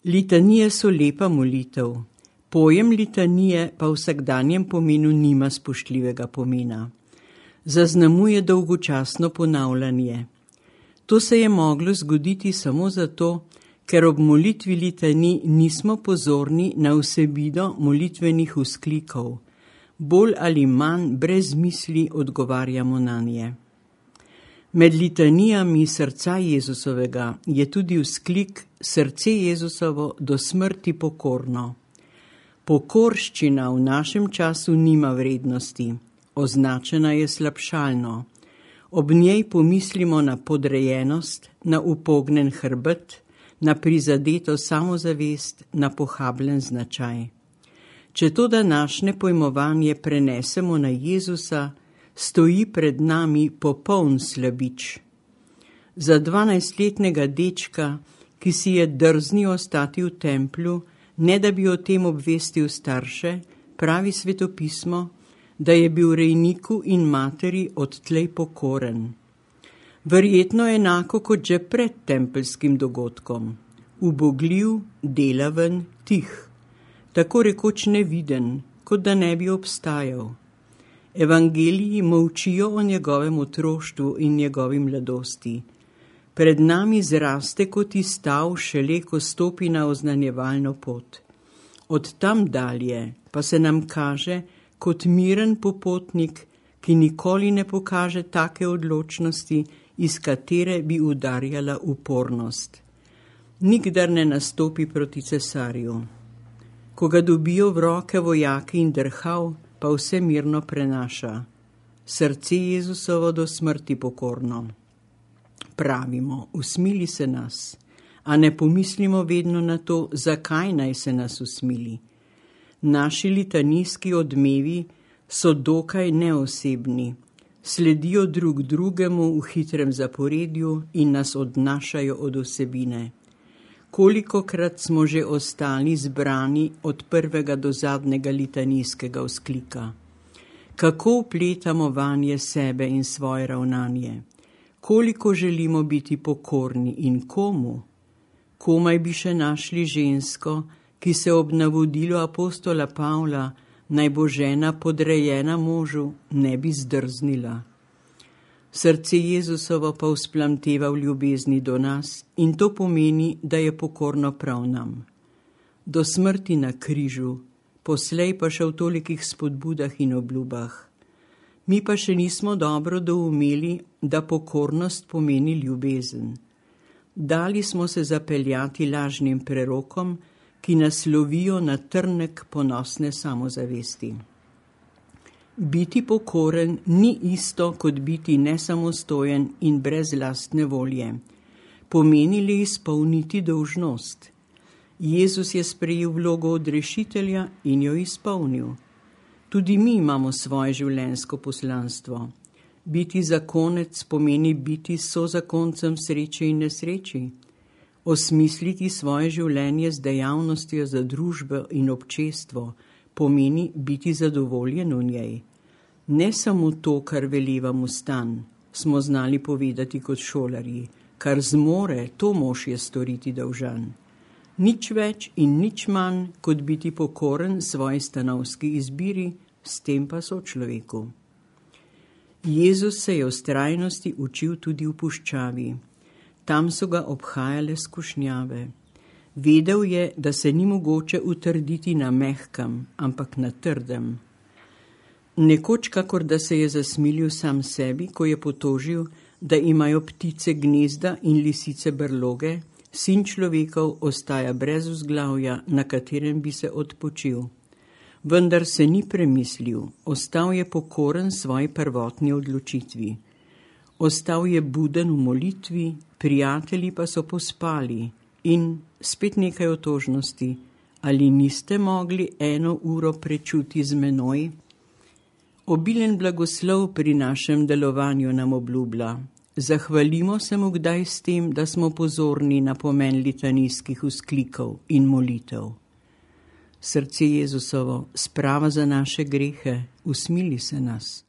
Litanije so lepa molitev. Pojem litanije pa v vsakdanjem pomenu nima spoštljivega pomena. Zaznamuje dolgočasno ponavljanje. To se je moglo zgoditi samo zato, ker ob molitvi litanij nismo pozorni na vsebino molitvenih vzklikov. Bolj ali manj brez misli odgovarjamo nanje. Med litanijami srca Jezusovega je tudi vzklik srce Jezusovo do smrti pokorno. Pokorščina v našem času nima vrednosti, označena je slabšalno. Ob njej pomislimo na podrejenost, na upognjen hrbet, na prizadeto samozavest, na pohabljen značaj. Če to današnje pojmovanje prenesemo na Jezusa, stoji pred nami popoln slabič. Za 12-letnega dečka, ki si je drznil ostati v templju, ne da bi o tem obvestil starše, pravi svetopismo, da je bil rejniku in materi odtlej pokoren. Verjetno enako kot že pred tempeljskim dogodkom. Ubogljiv, delaven, tih. Tako rekoč neviden, kot da ne bi obstajal. Evangeliji molčijo o njegovem otroštvu in njegovi mladosti. Pred nami zraste kot izstav šele, ko stopi na oznanjevalno pot. Od tam dalje pa se nam kaže kot miren popotnik, ki nikoli ne pokaže take odločnosti, iz katere bi udarjala upornost. Nikdar ne nastopi proti cesarju. Ko ga dobijo v roke vojaki in drhal, pa vse mirno prenaša. Srce Jezusovo do smrti pokorno. Pravimo, usmili se nas, a ne pomislimo vedno na to, zakaj naj se nas usmili. Naši litanijski odmevi so dokaj neosebni, sledijo drug drugemu v hitrem zaporedju in nas odnašajo od vsebine. Kolikokrat smo že ostali zbrani od prvega do zadnjega litanijskega vzklika. Kako vpletamo vanje sebe in svoje ravnanje? Koliko želimo biti pokorni in komu? Komaj bi še našli žensko, ki se ob navodilu apostola Pavla, naj bo žena podrejena možu, ne bi zdrznila. Srce Jezusovo pa vzplamteva v ljubezni do nas in to pomeni, da je pokorno prav nam. Do smrti na križu, poslej pa še v tolikih spodbudah in obljubah. Mi pa še nismo dobro doumeli, da pokornost pomeni ljubezen. Dali smo se zapeljati lažnim prerokom, ki nas lovijo na trnek ponosne samozavesti. Biti pokoren ni isto, kot biti nesamostojen in brez lastne volje. Pomeni le izpolniti dolžnost. Jezus je sprejel vlogo odrešitelja in jo izpolnil. Tudi mi imamo svoje življenjsko poslanstvo. Biti zakonec pomeni biti sozakoncem sreče in nesreči. Osmisliti svoje življenje z dejavnostjo za družbo in občestvo pomeni biti zadovoljen v njej. Ne samo to, kar veleva mu stan, smo znali povedati kot šolarji, kar zmore, to mož je storiti dolžan. Nič več in nič manj, kot biti pokoren svoji stanovski izbiri, s tem pa sočloveku. Jezus se je vztrajnosti učil tudi v puščavi. Tam so ga obhajale skušnjave. Vedel je, da se ni mogoče utrditi na mehkem, ampak na trdem. Nekoč, kakor da se je zasmilil sam sebi, ko je potožil, da imajo ptice gnezda in lisice brloge, sin človekov ostaja brez vzglavja, na katerem bi se odpočil. Vendar se ni premislil, ostal je pokoren svoji prvotni odločitvi. Ostal je buden v molitvi, prijatelji pa so pospali in spet nekaj otožnosti. Ali niste mogli 1 uro prečuti z menoj? Obilen blagoslov pri našem delovanju nam obljublja. Zahvalimo se mu kdaj s tem, da smo pozorni na pomen litanijskih vzklikov in molitev. Srce Jezusovo, sprava za naše grehe, usmili se nas.